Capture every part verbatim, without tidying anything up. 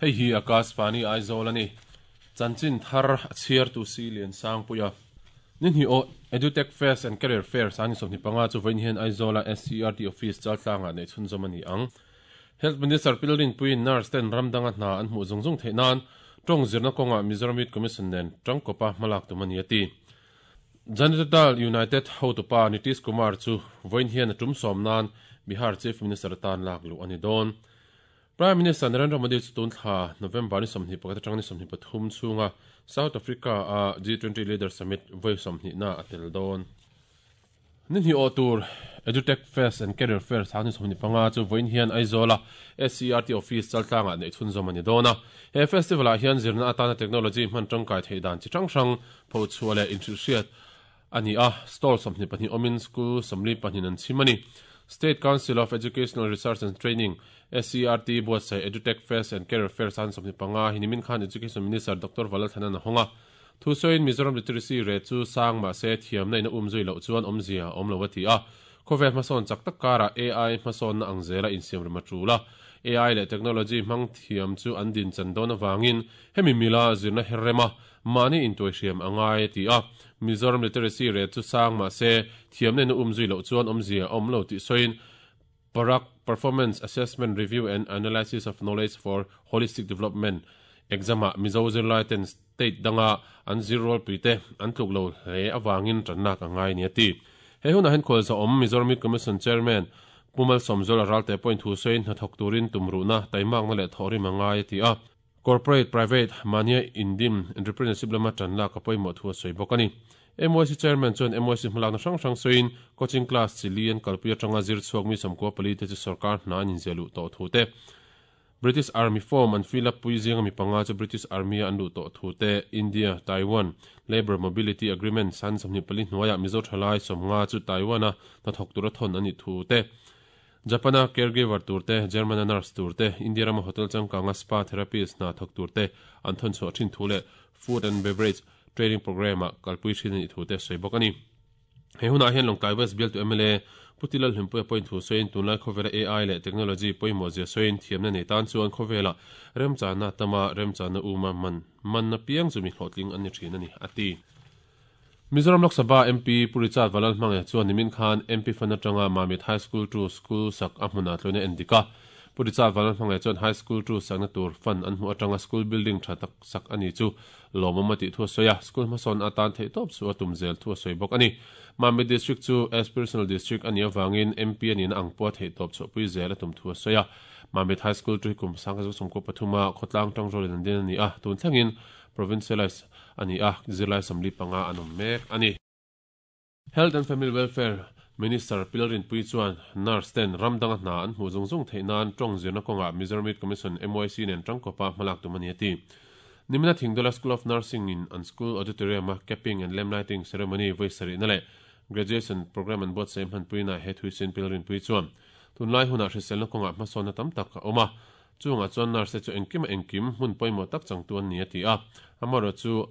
Hei hi Akashvani Aizawl ani chanchin thar a chhiar tu si lian sang puia nin hi o Edutech Fest and Career Fair sani sawmhni panga chu vawiin hian Aizawla S C R T office chaltlangah nei chhunzawm ani ang. Health Minister Pilrin Puiin nurse ten ramdanga hna an hmuh zung zung theih nan tawng zirna kawnga Mizoram Youth Commission nen tangkawpa hmalak tum ani ati. Janata Dal United hotupa Nitish Kumar chu vawiin hian a tum sawm nan Bihar Chief Minister tan lak luh ani dawn. Prime Minister Narendra Modi chu tun thla November ni sawmhnih pakhat atang ni sawmhnih pathum chhunga South Africa a G twenty Leader Summit vawi sawmhnih na a tel dawn. Nin hi aw tur Edutech Fest and Career Fair sangni sawmhnih panga chu vawiin hian Aizawla S C R T office chaltlangah nei chhunzawm ani dawn a. He festival ah hian zirna atana technology hman tangkai thei dan chi hrang hrang pho chhuah leh inhrilhhriat ani a. Stall sawmhnih pahnih awmin school sawmli pahnih an chhim ani. State Council of Educational Research and Training S C R T buatsaih Edutech Fest and Career Fair san sawmhnih panga hinimin khan Education Minister Doctor Valalthanan a hawnga. Thu sawiin Mizoram literacy rate chu sang mah se thiamna in a um zui loh chuan awmzia awm lo a ti a. Khawvel hmasawn chak tak karah A I hmasawn na ang zela insiam rem a tul a. A I leh technology hmang thiam chu an din chan dawn avangin hemi mila zirna her rema mahni intuai hriam angai a ti a. Mizoram literacy rate chu sang mah se thiamna in a um zui loh chuan awmzia awm lo tih sawiin Parak Performance Assessment Review and Analysis of Knowledge for Holistic Development exam-ah Mizo zirlai ten state danga an zir rol puite an tluk lo hle awangin tannak angai ni ati. He hunah hian khual zawm Mizoram Youth Commission Chairman Pumal Sawmzawl Ralte point thu sawiin hnathawk turin tumruhna taimakna leh thawhrim angai a ti a. Corporate Private mania indim entrepreneurship lama tanlak a pawimawh thu a sawi bawk ani. M Y C Chairman chuan M Y C hmalakna hrang hrang sawiin coaching class chili an kalpui atanga zir chhuak mi sawmkua pali te chu sarkar hna an inziah luh tawh thu te. British Army form an fill up pui zinga mi panga chu British Army an luh tawh thu te. India Taiwan Labour Mobility Agreement san sawmhnih pali hnuaiah Mizo thalai sawmnga chu Taiwan a hnathawk tura thawn ani thu te. Japana caregiver tur te, Germana nurse tur te, India rama hotel changkanga spa therapist hna thawk tur te an thawn chhuah thin thu leh food and beverage training program a kalpui thin ani thu te sawi bawk ani. He hunah hian Lawngtlai West Bial tu M L A Putilal Hlimpuia point thu sawiin tunlai khawvela A I leh technology pawimawh zia sawiin thiamna nei tan chuan khawvela remchana tama remchana uma man manna piang chu mi hlawhtling an ni thin ani ati. Mizoram Lok Sabha M P Purichat Valal hmangah chuan nimin khan M P fan atanga Mamit High School two school sak a hmunah tluina endika. Purichat Valal hmangah chuan High School two sakna tur fan an hmu atanga school building tha tak sak ani chu lawmawm a tih thu a sawi a. School hmasawn atan theih tawp chu a tum zel thu a sawi bawk ani. Mamit District chu aspirational district ani awangin M P ani na ang pawh theih tawp chhuahpui zel a tum thu a sawi a. Mamit High School two hi kum sangkhat chu sawmkua pathuma khawtlang tang rawlin an din ani a. Tun thlengin provincialize ani a zirlai sawmli panga an awm mek ani. Health and Family Welfare Minister Pilrin Pui chuan nurse ten ramdanga hna an hmuh zung zung theih nan tawng zirna kawnga Mizoram Youth Commission M Y C nen tangkawpa hmalak tum ani ati. Nimina Thingdola School of Nursing in an school auditorium a capping and lamp lighting ceremony vawi sarihna leh graduation program an buatsaih hmanpuina he thuisin Pilrin Pui chuan tunlai hunah hriselna kawnga hmasawnna tam tak a awm a. Chungah chuan nurse te chu engkim a engkim hmun pawimawh tak changtu an ni a ti a. Amarawh chu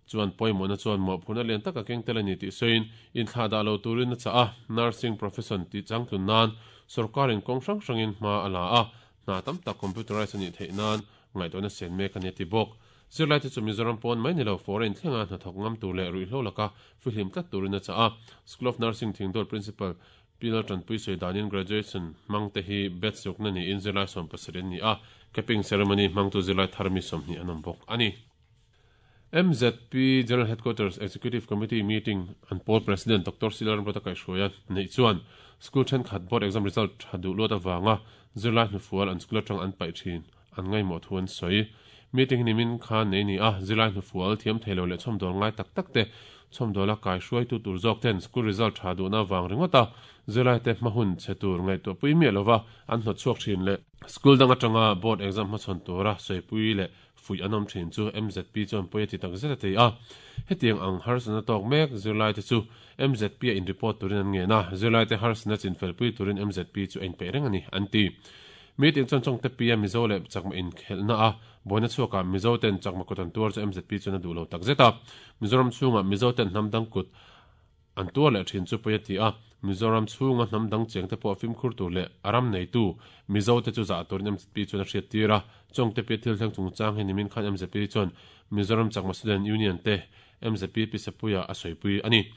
chuan pawimawhna chuan mawhphurna lian tak a keng tel ani tih sawiin inthlah dah lo turin a chah a. Nursing profession tih changtlun nan sarkarin kawng hrang hrangin hma a la a. Hna tam tak computerize ani theih nan ngaihtuahna sen mek ani ti bawk. Zirlai te chu Mizoram pawn mai ni lo foreign thlenga hnathawk ngam tur leh ruihhlo laka fihlim tlat turin a chah a. School of Nursing Thingdawl Principal Pilal Tanpui sawi danin graduation hmang te hi batch sukna niin zirlai sawm pasarih an ni a. Capping ceremony hmang tu zirlai thar mi sawmhnih an awm bawk ani. M Z P General Headquarters Executive Committee meeting an poll President Doctor Silaran Bratakai hruaia nei chuan school thenkhat board exam result tha duh luat awanga zirlai hnufual an school atang an paih thin an ngaimawh thu an sawi. Meeting nimin khan nei ni a zirlai hnufual thiam theilo leh chhawmdawl ngai tak tak te chhawmdawla kai hruai tu tur zawk ten school result tha duhna awang ringawta zirlai te hmahun che tur ngaihtuah pui miah lova an hnawt chhuak thin leh school dang atanga board exam hmachhawn tura sawipui leh fui an awm thin chu M Z P chuan pawi a ti tak zet a ti a. Hetiang ang harsana tawk mek zirlai te chu M Z P a in report turin an ngen a. Zirlai te harsana chinfel pui turin M Z P chu a inpeih reng ani an ti. Meeting chuan chawng te pi a Mizo leh chakma inkhelhna a buaina chhuakah Mizo ten chakma kut an tuar chu M Z P chuan a duh lo tak zet a. Mizoram chhungah Mizo ten hnam dang kut an tuar leh thin chu pawi a ti a. Mizoram chhunga hnam dang cheng te pawh fimkhur tur leh a ram neitu Mizo te chu zah turin M Z P chuan a hriat tir a. Chawngte pi thil thleng chungchang hi nimin khan M Z P chuan Mizoram Chakma Student Union te M Z P Pisapuia a sawipui a ni.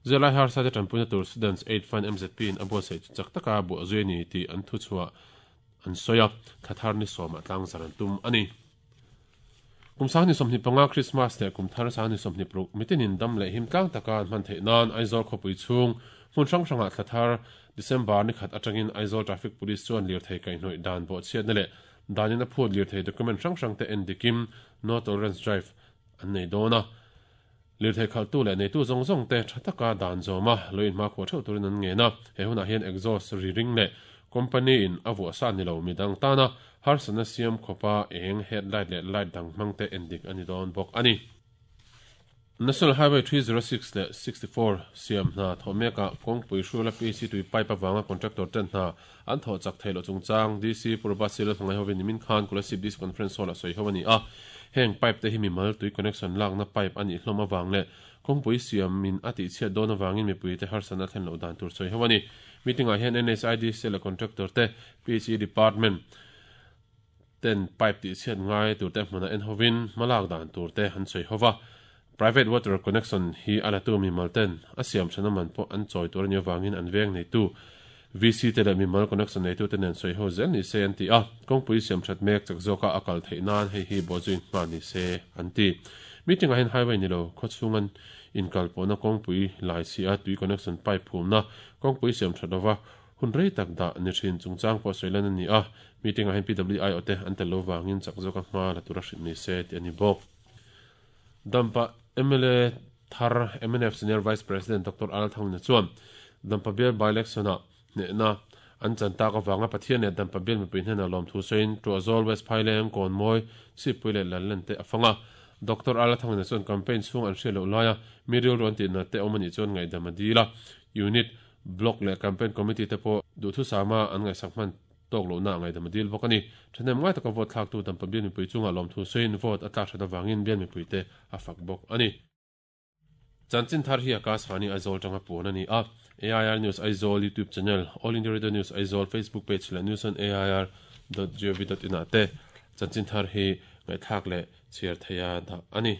Zirlai harsa te tanpuina tur Students Aid Fund M Z P in a buatsaih chu chak taka buah zui a ni tih an thu chhuah an sawi a, thla thar ni sawmah tlang zar an tum a ni. Kum sang ni sawmhnih panga Christmas leh kum thar sang ni sawmhnih paruk mitinin dam leh him tlang taka an hman theih nan Aizawl khawpui chhung hmun hrang hrangah thla thar December ni khat atangin Aizawl Traffic Police chuan lirthei kaihhnawih dan bawhchhiatna leh danin a phut lirthei document hrang hrang te en dikim No Tolerance Drive an nei dawn a. Lirthei khalhtu leh neitu zawng zawng te tha taka dan zawma lo inhmakhua theuh turin an ngen a. He hunah hian exhaust ri ring leh company in a vuah sa ni lo midang tana harsatna siam khawpa eng headlight leh light dang hmang te en dik a ni dawn bawk a ni. National Highway three zero six leh sixty four siam hna thawh mekah kawngpui hrula P C tui pipe avanga contractor ten hna an thawh chak theih loh chungchang D C Purbasil hmangaih hovin nimin khan Kolasib D C Conference Hall ah sawi ho a ni a. Heng pipe te hi mimal tui connection lakna pipe a nih hlawm avang leh kawngpui siamin a tihchhiat dawn avangin mipuite harsatna thlen loh dan tur sawi ho a ni. Meeting ah hian N H I D C leh contractor te P H E department ten pipe tihchhiat ngai tur te hmunah en hovin hmalak dan tur te an sawi ho va. Private water connection hi a latu mimal ten a siam thana man pawh an chawi tur a ni avangin an veng neitu V C te leh mimal connection neitu te nen sawi ho zel ni se an ti a. Kawngpui siam that mek chak zawka a kal theih nan hei hi bawhzui hma ni se an ti. Meeting ah hian highway ni lo khawchhungan inkal pawhna kawngpui lai si a tui connection pipe phumna kawngpui siam that lova hun rei tak dah ni thin chungchang pawh sawi lan a ni a. Meeting ah hian P W I O te an tel lo vangin chak zawka hma la tura hrilh ni se ti a ni bawk. Dampa M L A thar M N F Senior Vice President Doctor Al Thangna chuan Dampa Bial by-election ah hnehna an chan tak avanga Pathian leh Dampa Bial mipui hnena lawm thu sawiin Tuahzawl West Phaileng Kawnmawi Chhipui leh Lallen te a fanga. Doctor Al Thangna chuan campaign chhung an hriat loh laia mi rilru an tihna te awm anih chuan ngaihdam a dil a. Unit, block leh campaign committee te pawh duhthu sama an ngaihsak hman tawk lohna ngaihdam a dil bawk a ni. Thahnem ngai taka vote thlaktu Dampa Bial mipui chungah lawm thu sawiin vote a tlak that avangin Bial mipui te a fak bawk a ni. Chanchin thar hi Akashvani Aizawl tanga puan a ni a. A I R News Aizawl YouTube channel, All India Radio News Aizawl Facebook page leh news on A I R dot gov dot in ah te chanchin thar hi ngaihthlak leh chhiar theia dah a ni.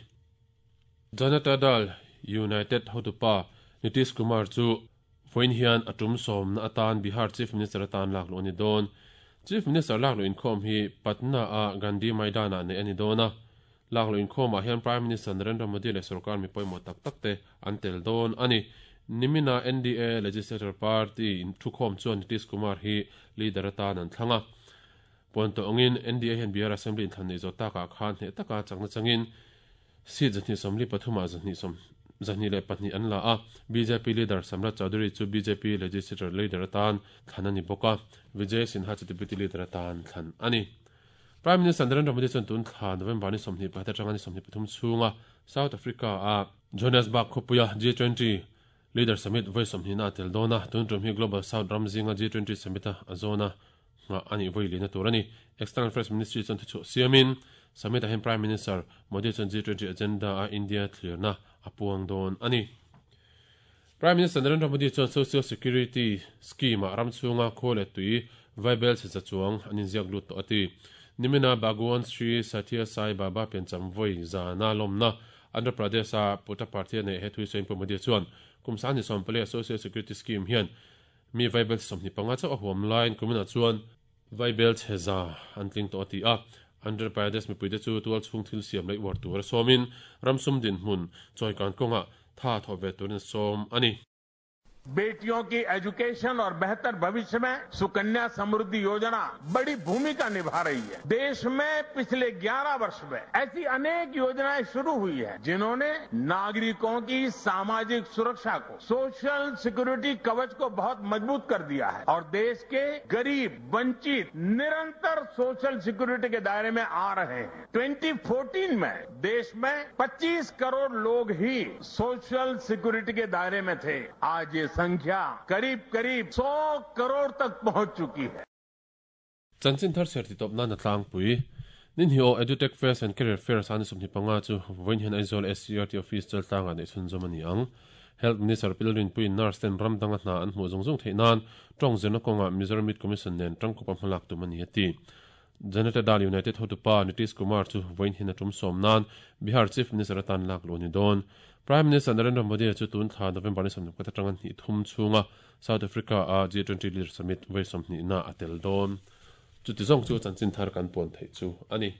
Janata Dal United hotupa Nitish Kumar chu vawiin hian a tum sawmna atan Bihar Chief Minister atan lak luh a ni dawn. Chief Minister lak luh inkhawm hi Patna a Gandhi Maidan ah neih a ni dawn a. Lak luh inkhawmah hian Prime Minister Narendra Modi leh sarkar mi pawimawh tak tak te an tel dawn a ni. Nimina N D A Legislature Party in thukhawm chuan Nitish Kumar hi leader atan an thlang a. Puan tawh angin N D A hian Bihar Assembly inthlan nei zawh takah khan hneh taka chakna changin seat zahnih sawmli pathumah zahnih sawm zahnih leh pahnih an la a. B J P leader Samrat Chaudhary chu B J P Legislature leader atan thlan a ni bawk a. Vijay Sinha chu deputy leader atan thlan a ni. Prime Minister Narendra Modi chuan tun thla November ni sawmhnih pakhat atanga ni sawmhnih pathum chhunga South Africa a Johannesburg khawpuia G twenty Leader Summit vawi sawmhnih na a tel dawn a. Tun tum hi Global South ram zinga G twenty Summit a a zawn a nga ani vawi lina tur a ni. External Affairs Ministry chuan thuchhuah siamin Summit ah hian Prime Minister Modi chuan G twenty agenda a India thlirna a puang dawn a ni. Prime Minister Narendra Modi chuan Social Security Scheme ah ram chhunga khaw leh tui vaibel chhe chuang an inziak lut tawh a ti. Nimina Bhagwan Sri Sathya Sai Baba piancham vawi zana lawmna Andhra Pradesh a Puttaparthi a neih he thui sawiin Pu Modi chuan kum sang ni sawm pali a Social Security Scheme hian mi vaibel sawmhnih panga chauh a huam laiin kumina chuan vaibel chhe za an tling tawh a ti a. Andhra Pradesh mipui te chu tual chhung thil siam leh uar tur a sawmin ramsum din hmun chawikan kawngah tha thawh ve turin sawm a ni. बेटियों की education और बेहतर भविष्य में सुकन्या समृद्धि योजना बड़ी भूमिका निभा रही है। देश में पिछले ग्यारह वर्ष में ऐसी अनेक योजनाएं शुरू हुई हैं जिन्होंने नागरिकों की सामाजिक सुरक्षा को, सोशल सिक्योरिटी कवच को बहुत मजबूत कर दिया है और देश के गरीब, वंचित निरंतर सोशल सिक्योरिटी के दायरे में आ रहे हैं। ट्वेंटी फोर्टीन में देश में पच्चीस करोड़ लोग ही सोशल सिक्योरिटी के दायरे में थे। आज ये संख्या करीब करीब सौ करोड़ तक पहुंच चुकी है। Chanchin thar ser ti top na na tlang pui nin hi o Edutech Fest and Career Fair san sum ni panga chu voin hian Aizawl S C R T office chal tlang ani chhun zom ani ang. Health Minister Pi Lalrinpuiin nurse ten ram danga hna an hmuh zung zung theih nan tawng zirna kawnga Mizoram Youth Commission nen tangkawpa hmalak tum a ni a ti. Janata Dal United hotupa Nitish Kumar chu vawiin hian a tum sawm nan Bihar Chief Minister atan lak luh a ni dawn. Prime Minister Narendra Modi chu tun thla November ni sawmhnih pakhat atanga hnih thum chhunga South Africa a G twenty Leaders Summit vawi sawmhnihna a tel dawn. Chuti zawng chu chanchin thar kan puan theih chu a ni.